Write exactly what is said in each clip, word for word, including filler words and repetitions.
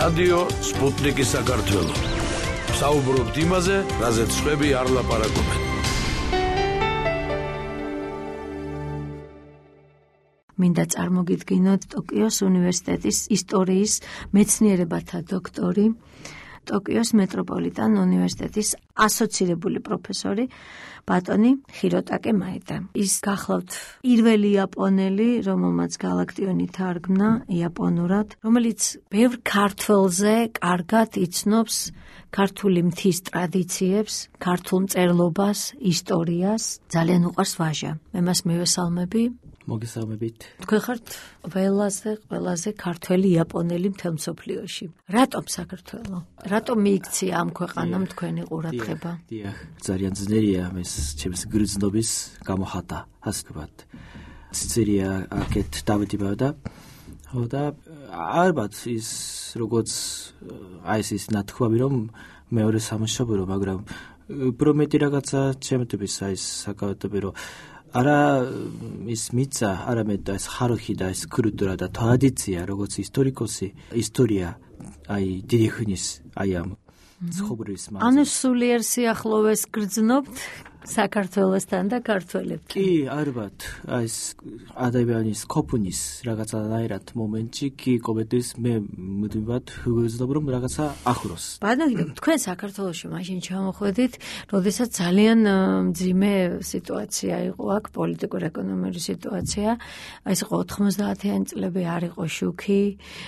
რადიო სპუტნიკი საქართველო. საუბრობთ იმაზე, რაზეც სხვები არ ლაპარაკობენ. მინდა წარმოგიდგინოთ ტოკიოს უნივერსიტეტის ისტორიის მეცნიერებათა დოქტორი, ტოკიოს მეტროპოლიტან უნივერსიტეტის ასოცირებული პროფესორი ბატონი ჰიროტაკე მაედა. ის გახლავთ პირველი იაპონელი, რომელმაც გალაქტიონი თარგმნა იაპონურად, რომელიც ბევრ ქართველზე კარგად იცნობს ქართული მთის ტრადიციებს, ქართულ მწერლობას, ისტორიას. ძალიან უყვარს ვაჟა. მე მას მივესალმები. მოგესალმებით. თქვენ ხართ ყველაზე ყველაზე ქართველი იაპონელი მთელ მსოფლიოში. რატომ საქართველო? რატომ მიიქცია ამ ქვეყანამ თქვენი ყურადღება? დიახ, ძალიან ძნელია ეს ჩემს გრძნობის გამოხატა, ასე ვთქვათ. ცირია აქეთ დავიდება და და ალბათ ის როგორც აი ეს ნათქვამი რომ მეორე სამშობლო, მაგრამ პრომეტი რაღაცა ჩემთვის აი ეს საკავატები რომ არა ის მიწა, არამედ ეს ხაროხი და ეს კულტურა და ტრადიცია, როგორც ისტორიკოსი, ისტორია, აი დიდი ხნის აი ამ ცხოვრების მასა. ანუ სულიერ სიახლოვეს გრძნობთ საქართველოსთან და ქართველებთან. კი, ალბათ, აი ეს ადამიანის ყოფნის რაღაცანაირად მომენტში კი კომენტის მე მუდმივად ვგრძნობ რომ რაღაცა ახლოს. ბატონო, თქვენ საქართველოში მაშინ ჩამოხვედით, როდესაც ძალიან მძიმე სიტუაცია იყო აქ, პოლიტიკურ-ეკონომიური სიტუაცია. აი ეს იყო ოთხმოცდაათიანი წლები, არ იყო შუქი,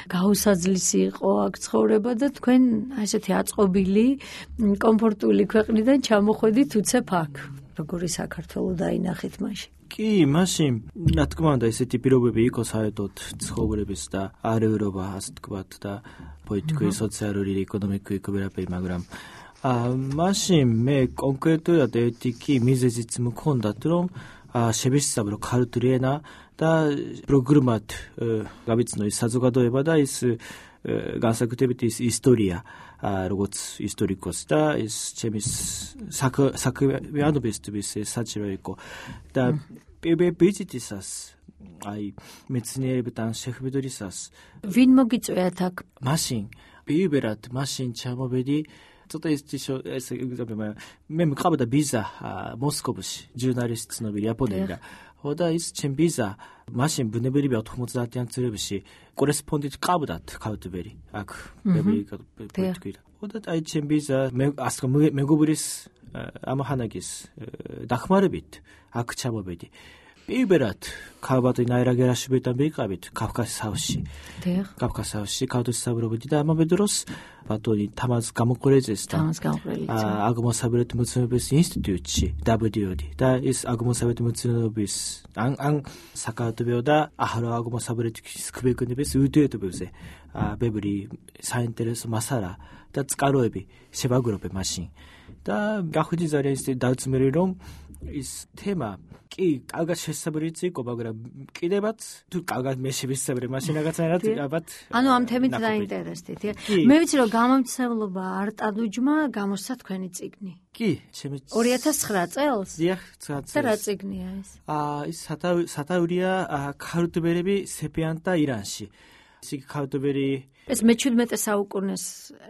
გაუსაძლისი იყო აქ ცხოვრება და თქვენ აი ესეთი აწყობილი, კომფორტული ქვეყნიდან ჩამოხვედით უცებ აქ. როგორი საქართველო დაინახეთ მაშინ? კი, მაშინ რა თქმა უნდა ესეთი პირობები იყო საერთოდ ცხოვრების და არეულობა, ასე ვთქვათ და პოლიტიკური, სოციალური, ეკონომიკური ყველაფერი, მაგრამ მაშინ მე კონკრეტულად ერთი კი მიზეზიც მქონდა, რომ შევისწავლო ქართული ენა და პროგრამად გავიცნო ის საზოგადოება და ის განსაკუთრებით ის ისტორია, როგორც ისტორიკოსი და ის ჩემის საქმიანობისთვის საჭირო იყო და პირველ ვიზიტისას აი მეცნიერებთან შეხვედრისას ვინ მოგიწვიათ აქ? მაშინ პირველად მაშინ ჩამოვედი ცოტა ის ეს მე მყავდა ვიზა მოსკოვში ჟურნალისტ ცნობილი იაპონელი და ის ჩემ ვიზა მაშინ ბუნებრივია ოთხმოცდაათიან წლებში კორესპონდენტ ყავდათ ქართველი აქ ბევრი და აი ჩემ ვიზა მე ასე მეგობრის ამახანაგის დახმარებით აქ ჩამოვედი. პირველად ქალბატონი აირაგერაშვილთან ვიყავით კავკასიაში. კავკასიაში ქავთოსაბრობდი და ამავე დროს ბატონი თამაზ გამოყურეძესთან აღმოსავლეთ მეცნიერების ინსტიტუტში დავედიოდი და ის აღმოსავლეთ მეცნიერების ან ან საკავატებიო და ახალ აღმოსავლეთის ქვეყნების ურთიერთობებზე ბევრი საინტერესო მასალა და წყაროები შევაგროვე მაშინ და გახვიდი ძალიან ის დაწმერი რომ ის თემა კი კარგად შესაძლებელი იყო, მაგრამ კიდევაც თუ კარგად მე შევისწავლე მაშინ რაღაცნაირად ალბათ ანუ ამ თემით დაინტერესდით. მე ვიცი რომ გამომცემლობა არტადუჯმა გამოსცა თქვენი წიგნი. კი, ჩემი ორი ათას ცხრა წელს? დიახ, ცხრა წელს. და რა წიგნია ეს? აა ის სათაურია ქართველები სეფიანტ და ირანში. ის ქართველი ეს მეჩვიდმეტე საუკუნეს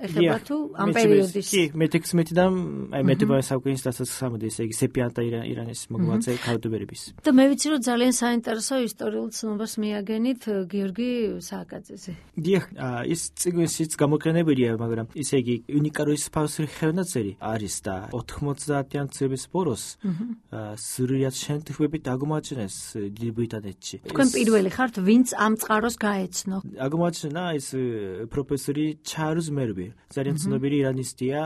ეხება თუ ამ პერიოდის? კი, მეთექვსმეტიდან აი მეთერთმეტე საუკუნის დასასრულამდე, ესე იგი სეფიანტ და ირანის მოღვაწე ქართველების. და მე ვიცი რომ ძალიან საინტერესო ისტორიულ ცნობას მიაგენით გიორგი სააკაძეზე. დიახ, ის წიგნშიც გამოყენებულია, მაგრამ ისე იგი უნიკალური სპეციალური ხელნაწერი არის და ოთხმოცდაათიან წლების ბოლოს სრულად შემთხვევით აღმოაჩინეს დიდი ბრიტანეთში. თქვენ პირველი ხართ, ვინც ამ წყაროს გაეცნო? აღმოაჩინა ის პროფესორი ჩარლზ მერვი, ძალიან ცნობილი ირანისტია,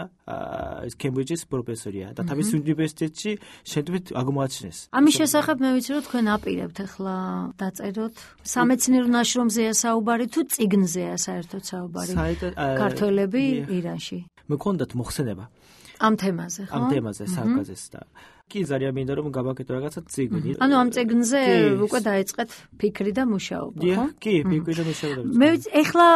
ის კემბრიჯის პროფესორია და თავის უნივერსიტეტში შემთხვევით აღმოაჩინეს. ამის შესახებ მე ვიცი რომ თქვენ აპირებთ ახლა დაწეროთ სამეცნიერო ნაშრომზეა საუბარი თუ წიგნზეა საერთოდ საუბარი ქართველები ირანში. მქონდათ მოხსენება ამ თემაზე, ხო? ამ თემაზე საუბარს და კი ძალიან მინდა რომ გავაკეთო რაღაცა წიგნი. ანუ ამ წიგნზე უკვე დაიწყეთ ფიქრი და მუშაობა, ხო? კი, ფიქრი და მუშაობა. მე ეხლა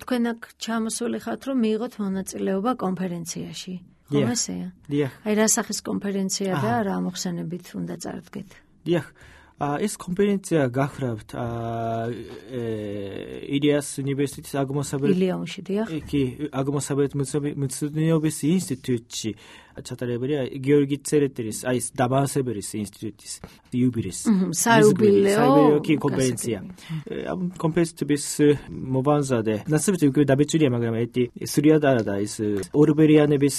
თქვენ აქ ჩამოსული ხართ რომ მიიღოთ მონაწილეობა კონფერენციაში. ხო ესეა? დიახ. აი რა სახის კონფერენცია და რა მოხსენებით უნდა წარდგეთ? დიახ. ეს კონფერენცია გახლავთ ილიას უნივერსიტეტის აღმოსავლეთ ილიონში დიახ. კი, აღმოსავლეთ მეცნიერების ინსტიტუტში ჩატარებია გიორგი წერეტელის, აი ეს დამაარსებლის ინსტიტუტის იუბილეის. საიუბილეო კონფერენცია. ამ კონფერენციის მოვანზადე. ნაცნობი უკვე დაბეჭდია, მაგრამ ეთი სრულად არა და ის ორბერიანების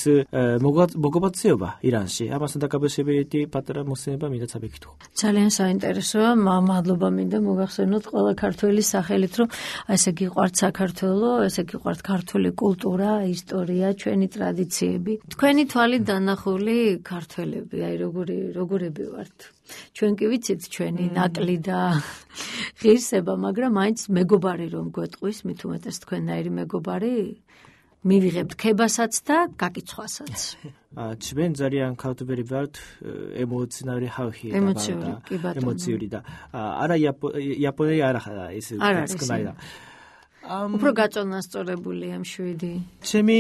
მოგობაცეობა ირანში. ამასთან დაკავშირებით ერთი პატარა მოსენება მინდა წაბეკითხო. ძალიან საინტერესოა, მადლობა მინდა მოგახსენოთ ყველა ქართველის სახელით, რომ ესე გიყვართ საქართველო, ესე გიყვართ ქართული კულტურა, ისტორია, ჩვენი ტრადიციები. თქვენი თვალით დანახული ქართველები, აი როგორი როგორები ვართ. ჩვენ კი ვიცით ჩვენი ნაკლი და ღირსება, მაგრამ მაინც მეგობარი რომ გვეტყვის, მით უმეტეს თქვენნაირი მეგობარი მივიღებთ ქებასაც და გაკიცხვასაც. ჩვენ ძალიან ქართველები ვართ, ემოციონალური ხალხი და ემოციური და არა იაპონელი არა ეს სკნაი და უფრო გაწონასწორებული ამ შვიდი. ჩემი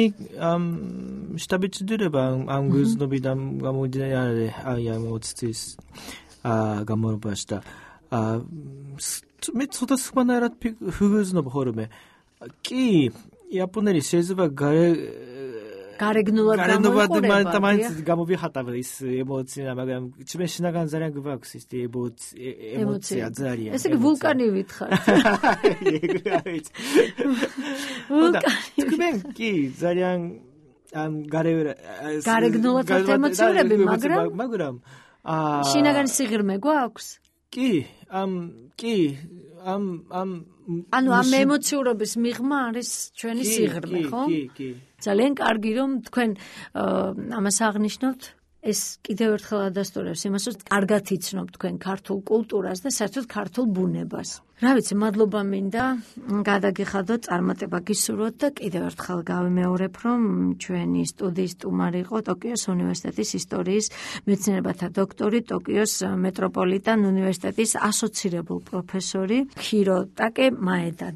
შტაბიჭდება ამ გზნობიდან გამომდინარე აი ამ ოცის გამორბაში და მე ცოტა სხვანაირად ვგზნობ ხოლმე. კი, იაპონელი შეიძლება გარე გარეგნულად გამოიყურება. მაინც გამოვიხატავ ის ემოცია, მაგრამ ჩვენ შინაგან ძალიან გვაქვს ის ემოცია ძალიან. ესე იგი ვულკანი ვითხართ. ვულკანი. თქვენ კი ძალიან ამ გარე გარეგნულად ემოციურები, მაგრამ მაგრამ შინაგან სიღრმე გვაქვს? კი, ამ კი, ამ ამ ანუ ამ ემოციურობის მიღმა არის ჩვენი სიღრმე, ხო? კი, კი. ძალიან კარგი რომ თქვენ ამას აღნიშნავთ. ეს კიდევ ერთხელ ადასტურებს იმას, რომ კარგად იცნობთ თქვენ ქართულ კულტურას და საერთოდ ქართულ ბუნებას. რა ვიცი, მადლობა მინდა გადაგიხადოთ, წარმატება გისურვოთ და კიდევ ერთხელ გავიმეორებ, რომ ჩვენი სტუდიის სტუმარი იყო ტოკიოს უნივერსიტეტის ისტორიის მეცნიერებათა დოქტორი, ტოკიოს მეტროპოლიტენ უნივერსიტეტის ასოცირებულ პროფესორი ქიროტაკე მაედა.